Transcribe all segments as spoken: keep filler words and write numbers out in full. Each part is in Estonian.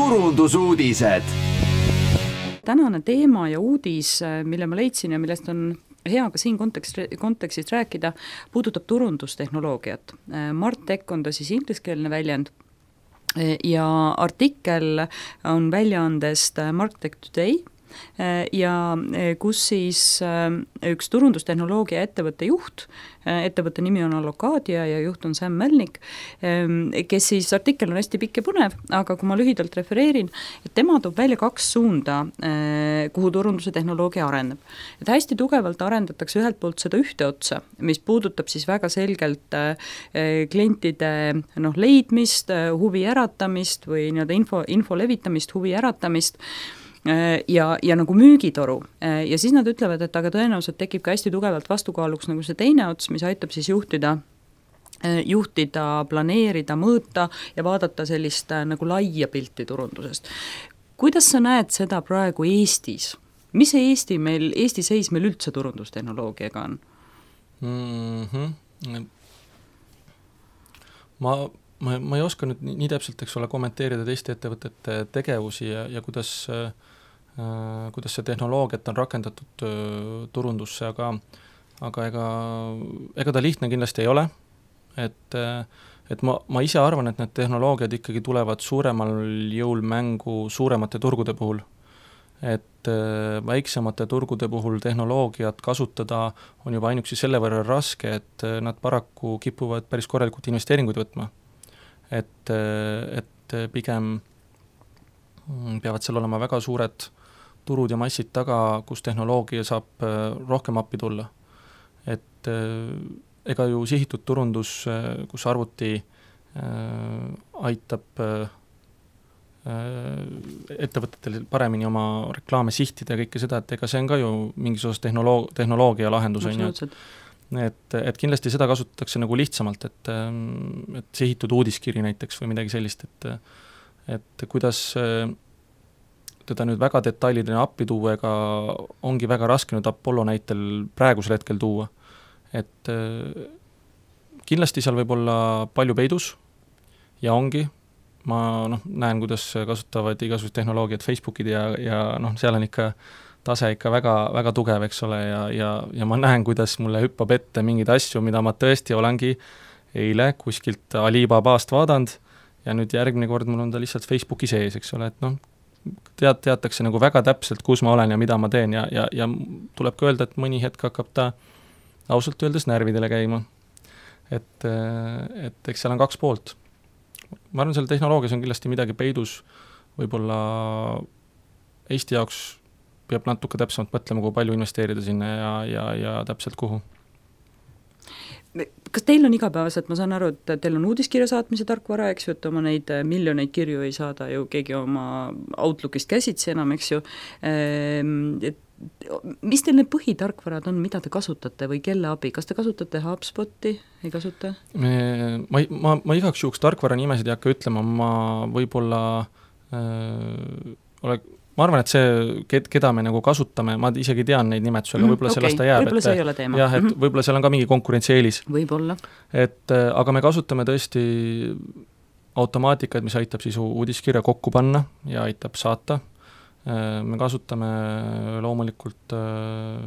turundusuudised. Tänane teema ja uudis, mille ma leidsin ja millest on hea ka siin kontekst, kontekstis rääkida, puudutab turundustehnoloogiat. Martech on ta siis ingliskeelne väljend ja artikkel on väljaandest Martech Today ja kus siis üks turundustehnoloogia ettevõtte juht, ettevõtte nimi on Allocadia ja juht on Sam Melnick, kes siis, artikkel on hästi pikk ja põnev, aga kui ma lühidalt refereerin, et tema toob välja kaks suunda, kuhu turunduse tehnoloogia areneb. Et hästi tugevalt arendatakse ühelt poolt seda ühte otsa, mis puudutab siis väga selgelt klientide noh, leidmist, huvi äratamist või nii-öelda info, info levitamist, huvi äratamist, ja, ja nagu müügitoru ja siis nad ütlevad, et aga tõenäoliselt tekib ka hästi tugevalt vastukaaluks nagu see teine ots, mis aitab siis juhtida juhtida, planeerida, mõõta ja vaadata sellist nagu laia pilti turundusest. Kuidas sa näed seda praegu Eestis? Mis see Eesti meil, Eesti seis meil üldse turundustehnoloogiaga on? Mm-hmm. Ma Ma, ma ei oska nüüd nii, nii täpselt, eks ole, kommenteerida teiste ettevõtete tegevusi ja, ja kuidas, äh, kuidas see tehnoloogiat on rakendatud äh, turundusse, aga, aga ega, ega ta lihtne kindlasti ei ole. Et, et ma, ma ise arvan, et need tehnoloogiad ikkagi tulevad suuremal jõul mängu suuremate turgude puhul. Et äh, väiksemate turgude puhul tehnoloogiat kasutada on juba ainuksi selle võrra raske, et nad paraku kipuvad päris korralikult investeeringuid võtma. Et, et pigem peavad seal olema väga suured turud ja massid taga, kus tehnoloogia saab rohkem appi tulla. Et ega ju sihitud turundus, kus arvuti aitab ettevõtetel paremini oma reklaame sihtida ja kõike seda, et ega see on ka ju mingis osas tehnoloog- tehnoloogia lahendus. Et, et kindlasti seda kasutatakse nagu lihtsamalt, et, et sihitud uudiskiri näiteks või midagi sellist, et, et kuidas teda nüüd väga detailidena appi tuua, ega ongi väga raske nüüd Apollo näitel praegusel hetkel tuua. Et kindlasti seal võib olla palju peidus ja ongi, ma noh, näen, kuidas kasutavad igasugused tehnoloogiad Facebookid ja, ja noh, seal on ikka tase ikka väga, väga tugev, eks ole, ja, ja, ja ma näen, kuidas mulle hüppab ette mingeid asju, mida ma tõesti olengi eile kuskilt Alibabast vaadanud ja nüüd järgmine kord mul on ta lihtsalt Facebooki sees, eks ole, et noh, tead, teatakse nagu väga täpselt, kus ma olen ja mida ma teen ja, ja, ja tuleb ka öelda, et mõni hetk hakkab ta ausalt öeldes närvidele käima. Et, et eks seal on kaks poolt. Ma arvan, selle tehnoloogias on kindlasti midagi peidus, võib-olla Eesti jaoks peab natuke täpsemalt mõtlema, kui palju investeerida sinna ja, ja, ja täpselt kuhu. Kas teil on igapäevaselt, ma saan aru, et teil on uudiskirja saatmise tarkvara, eks ju, et oma neid miljoneid kirju ei saada ju keegi oma Outlookist käsitsi enam, eks ju. Et mis teil need põhitarkvarad on, mida te kasutate või kelle abi? Kas te kasutate HubSpoti? Ei kasuta? Me, ma, ma, ma igaks juhuks tarkvara nimesid ei hakka ütlema, ma võib-olla äh, ole, ma arvan, et see, keda me nagu kasutame, ma isegi tean neid nimetusega, mm, võib-olla okay. Sellest ta jääb. Võib-olla see ei ole teema. Jah, et mm-hmm. võib-olla seal on ka mingi konkurentsieelis. Võib-olla. Et, aga me kasutame tõesti automaatikaid, mis aitab siis uudiskirja kokku panna ja aitab saata. Me kasutame loomulikult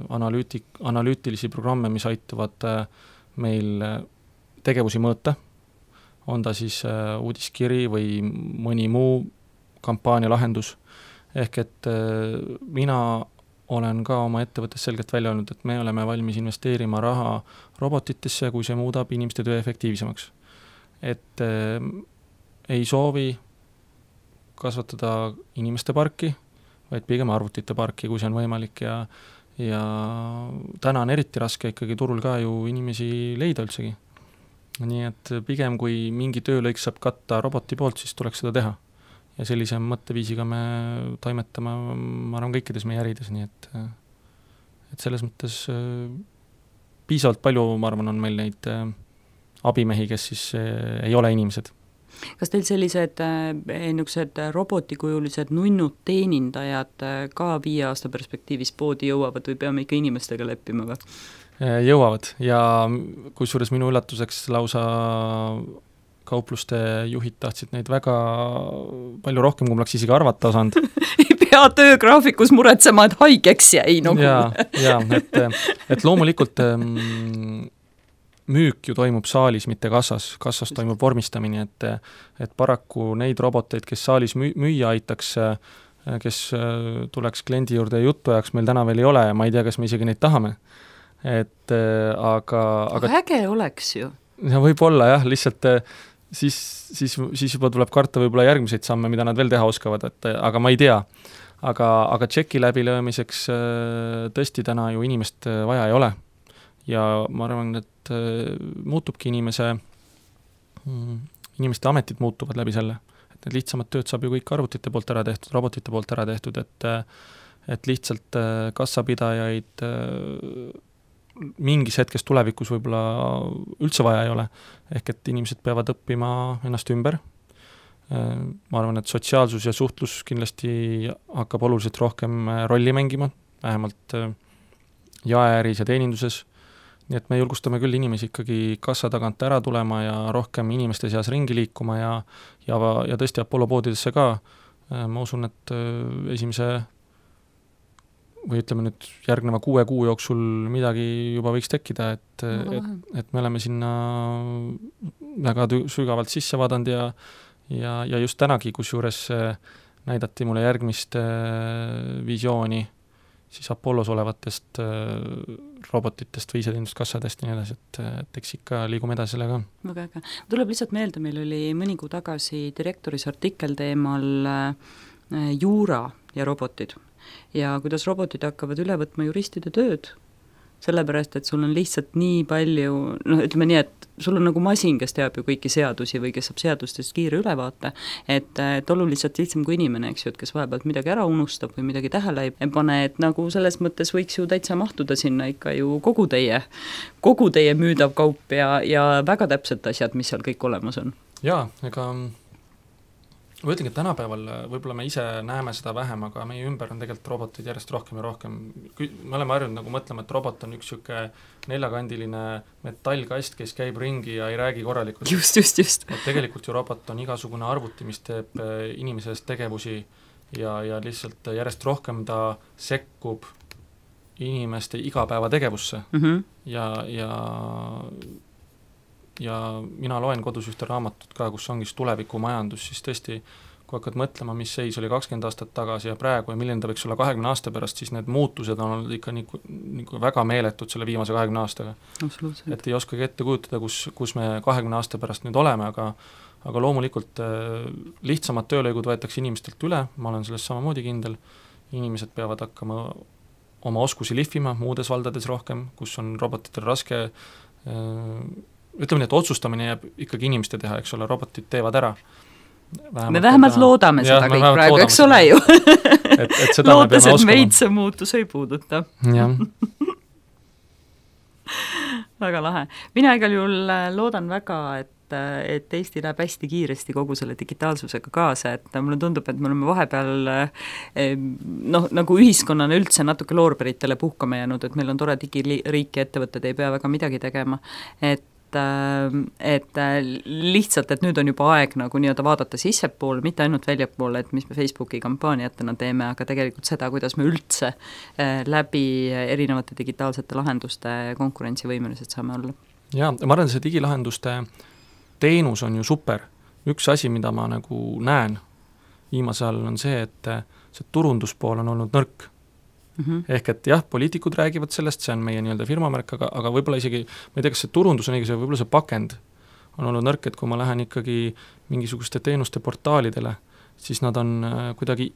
analüütik, analüütilisi programme, mis aitavad meil tegevusi mõõta. On ta siis uudiskiri või mõni muu kampaania lahendus. Ehk et mina olen ka oma ettevõttes selgelt välja öelnud, et me oleme valmis investeerima raha robotitesse, kui see muudab inimeste töö efektiivsemaks. Et äh, ei soovi kasvatada inimeste parki, vaid pigem arvutite parki, kui see on võimalik ja, ja täna on eriti raske ikkagi turul ka ju inimesi leida üldsegi. Nii et pigem kui mingi töölõik saab katta roboti poolt, siis tuleks seda teha. Ja sellise mõtteviisiga me toimetame, ma arvan, kõikides meie ärides, nii et, et selles mõttes piisavalt palju, ma arvan, on meil neid abimehi, kes siis ei ole inimesed. Kas teil sellised niisugused robotikujulised nunnud teenindajad ka viie aasta perspektiivis poodi jõuavad või peame ikka inimestega leppima või? Jõuavad ja kusjuures minu üllatuseks lausa kaupluste juhid tahtsid neid väga palju rohkem, kui ma oleks isegi arvata osanud. Ei pea töögraafikus muretsema, et haigeks jäi nagu. Jaa, jaa, et, et loomulikult mm, müük ju toimub saalis, mitte kassas. Kassas toimub vormistamine, et, et paraku neid roboteid, kes saalis müü, müüa aitaks, kes tuleks kliendi juurde juttu ajaks, meil täna veel ei ole ja ma ei tea, kas me isegi neid tahame. Et aga... Aga, aga äge oleks ju. Ja võib-olla jah, lihtsalt siis, siis, siis juba tuleb karta võib-olla järgmiseid samme, mida nad veel teha oskavad, et, aga ma ei tea. Aga, aga tšeki läbilöömiseks tõesti täna ju inimest vaja ei ole. Ja ma arvan, et muutubki inimese, inimeste ametid muutuvad läbi selle. Et need lihtsamad tööd saab ju kõik arvutite poolt ära tehtud, robotite poolt ära tehtud, et, et lihtsalt kassapidajaid mingis hetkes tulevikus võib-olla üldse vaja ei ole. Ehk et inimesed peavad õppima ennast ümber. Ma arvan, et sotsiaalsus ja suhtlus kindlasti hakkab oluliselt rohkem rolli mängima, vähemalt jaeäris ja teeninduses. Nii et me julgustame küll inimesi ikkagi kassa tagant ära tulema ja rohkem inimeste seas ringi liikuma ja, ja, ja tõesti Apollo poodidesse ka. Ma usun, et esimese või ütleme nüüd järgneva kuue kuu jooksul midagi juba võiks tekkida, et, et, et me oleme sinna väga sügavalt sisse vaadanud ja, ja, ja just tänagi, kus juures näidati mulle järgmist visiooni siis Apollos olevatest robotitest või iseteeninduskassadest ja nii edasi, et, et eks ikka liigume edasi sellega. Väga äge. Tuleb lihtsalt meelde, meil oli mõni kuu tagasi direktoris artikkel teemal juura ja robotid. Ja kuidas robotid hakkavad üle võtma juristide tööd, sellepärast, et sul on lihtsalt nii palju, noh, ütleme nii, et sul on nagu masin, kes teab ju kõiki seadusi või kes saab seadustest kiire ülevaate, et, et oluliselt lihtsam kui inimene, eks ju, et kes vahepealt midagi ära unustab või midagi tähele ei pane, et nagu selles mõttes võiks ju täitsa mahtuda sinna ikka ju kogu teie, kogu teie müüdav kaup ja, ja väga täpselt asjad, mis seal kõik olemas on. Jaa, ega ma ütlengi, et tänapäeval võib-olla me ise näeme seda vähem, aga meie ümber on tegelikult robotid järjest rohkem ja rohkem. Me oleme harjunud nagu mõtlema, et robot on üks siuke neljakandiline metallkast, kes käib ringi ja ei räägi korralikult. Just, just, just. Et tegelikult ju robot on igasugune arvuti, mis teeb inimesest tegevusi ja, ja lihtsalt järjest rohkem ta sekkub inimeste igapäeva tegevusse. Mm-hmm. Ja, ja ja mina loen kodus ühte raamatut ka, kus ongi tulevikumajandus, siis tõesti, kui hakkad mõtlema, mis seis oli kakskümmend aastat tagasi ja praegu ja milline ta võiks olla kahekümne aasta pärast, siis need muutused on olnud ikka nii, nii väga meeletud selle viimase kahekümne aastaga. Et ei oskagi ette kujutada, kus, kus me kahekümne aasta pärast nüüd oleme, aga, aga loomulikult lihtsamad töölõigud võetakse inimestelt üle, ma olen sellest samamoodi kindel, inimesed peavad hakkama oma oskusi lihvima muudes valdades rohkem, kus on robotitel raske ütleme nii, et otsustamine jääb ikkagi inimeste teha, eks ole, robotid teevad ära. Vähemalt me vähemalt teha. Loodame seda ja, kõik praegu, eks ole ju. et, et seda lootes, et meid see muutus ei puuduta. Jah. Väga lahe. Mina igal juhul loodan väga, et, et Eesti läheb hästi kiiresti kogu selle digitaalsusega kaasa, et mulle tundub, et me oleme vahepeal noh, nagu ühiskonnana üldse natuke loorberitele puhkama jäänud, et meil on tore digiriik ja ettevõtted ei pea väga midagi tegema, et et lihtsalt, et nüüd on juba aeg nagu nii-öelda vaadata sissepoole, mitte ainult väljapoole, et mis me Facebooki kampaaniatena teeme, aga tegelikult seda, kuidas me üldse läbi erinevate digitaalsete lahenduste konkurentsivõimelised saame olla. Jaa, ma arvan, see digilahenduste teenus on ju super. Üks asi, mida ma nagu näen viimasel on see, et see turunduspool on olnud nõrk. Mm-hmm. Ehk et jah, poliitikud räägivad sellest, see on meie nii-öelda firmamärk, aga, aga võib-olla isegi, ma ei tea, kas see turundus on õige, võib-olla see pakend on olnud nõrk, et kui ma lähen ikkagi mingisuguste teenuste portaalidele, siis nad on kuidagi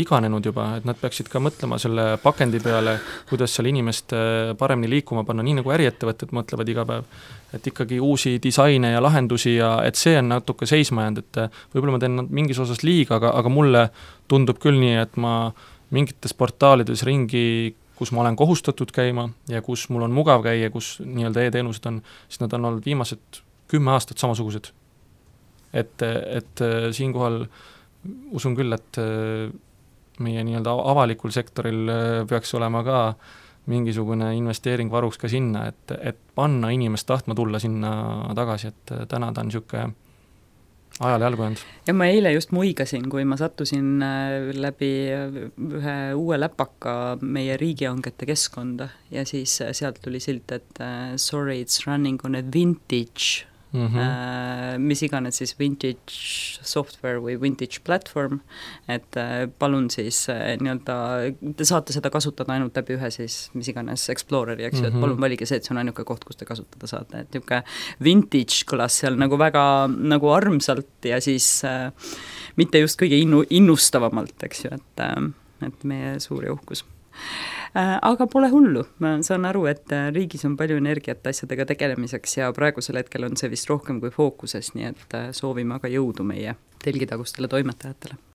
iganenud juba, et nad peaksid ka mõtlema selle pakendi peale, kuidas seal inimest paremini liikuma panna, nii nagu äriettevõtted mõtlevad iga päev, et ikkagi uusi disaine ja lahendusi ja et see on natuke seisma jäänud, et võib-olla ma teen mingis osas liiga, aga, aga mulle tundub küll nii, et ma mingites portaalides ringi, kus ma olen kohustatud käima ja kus mul on mugav käia, kus nii-öelda e-teenused on, siis nad on olnud viimased kümme aastat samasugused. Et, et siinkohal usun küll, et meie nii-öelda avalikul sektoril peaks olema ka mingisugune investeering varuks ka sinna, et, et panna inimest tahtma tulla sinna tagasi, et täna ta on niisugune ajale jalgu jäänud. ja ma eile just muigasin, kui ma sattusin läbi ühe uue läpaka meie riigihangete keskkonda ja siis sealt tuli silt, et sorry, it's running on a vintage mm, -hmm. mis iganes siis vintage software või vintage platform, et palun siis nii-öelda, te saate seda kasutada ainult läbi ühe siis mis iganes Exploreri, eks ju, mm -hmm. et palun valige see, et see on ainuke koht, kus te kasutada saate, et niisugune vintage kõlas seal nagu väga nagu armsalt ja siis äh, mitte just kõige innu, innustavamalt, eks ju, et, äh, et meie suur ja uhkus. Aga pole hullu, ma saan aru, et riigis on palju energiat asjadega tegelemiseks ja praegusel hetkel on see vist rohkem kui fookuses, nii et soovime aga jõudu meie telgitagustele toimetajatele.